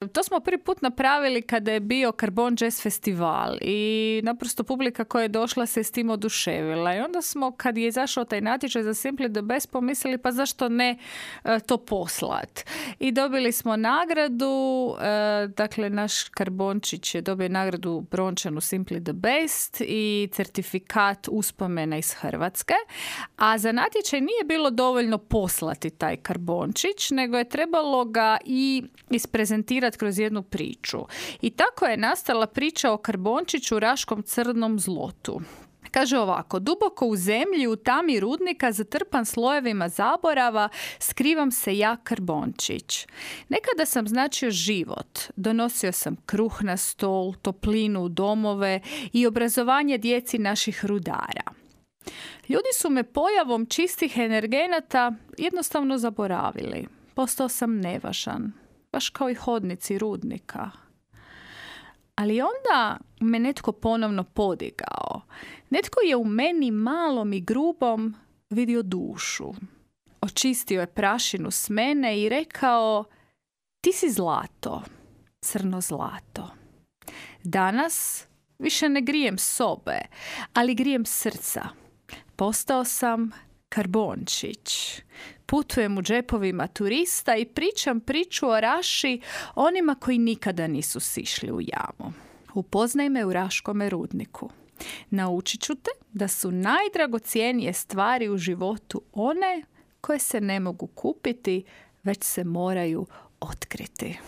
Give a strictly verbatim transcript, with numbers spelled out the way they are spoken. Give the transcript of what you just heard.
To smo prvi put napravili kada je bio Karbon Jazz festival i naprosto publika koja je došla se s tim oduševila. I onda smo, kad je izašao taj natječaj za Simply the Best, pomislili pa zašto ne e, to poslat. I dobili smo nagradu, e, dakle naš Karbončić je dobio nagradu brončanu Simply the Best i certifikat uspomena iz Hrvatske. A za natječaj nije bilo dovoljno poslati taj Karbončić, nego je trebalo ga i isprezentirati kroz jednu priču. I tako je nastala priča o Karbončiću, Raškom crnom zlotu. Kaže ovako: duboko u zemlji, u tami rudnika, zatrpan slojevima zaborava, skrivam se ja, Karbončić. Nekada sam značio život. Donosio sam kruh na stol, toplinu u domove i obrazovanje djeci naših rudara. Ljudi su me pojavom čistih energenata jednostavno zaboravili. Postao sam nevažan, baš kao i hodnici rudnika. Ali onda me netko ponovno podigao. Netko je u meni malom i grubom vidio dušu. Očistio je prašinu s mene i rekao: ti si zlato, crno zlato. Danas više ne grijem sobe, ali grijem srca. Postao sam Karbončić. Putujem u džepovima turista i pričam priču o Raši onima koji nikada nisu sišli u jamu. Upoznaj me u Raškome rudniku. Naučit ću te da su najdragocjenije stvari u životu one koje se ne mogu kupiti, već se moraju otkriti.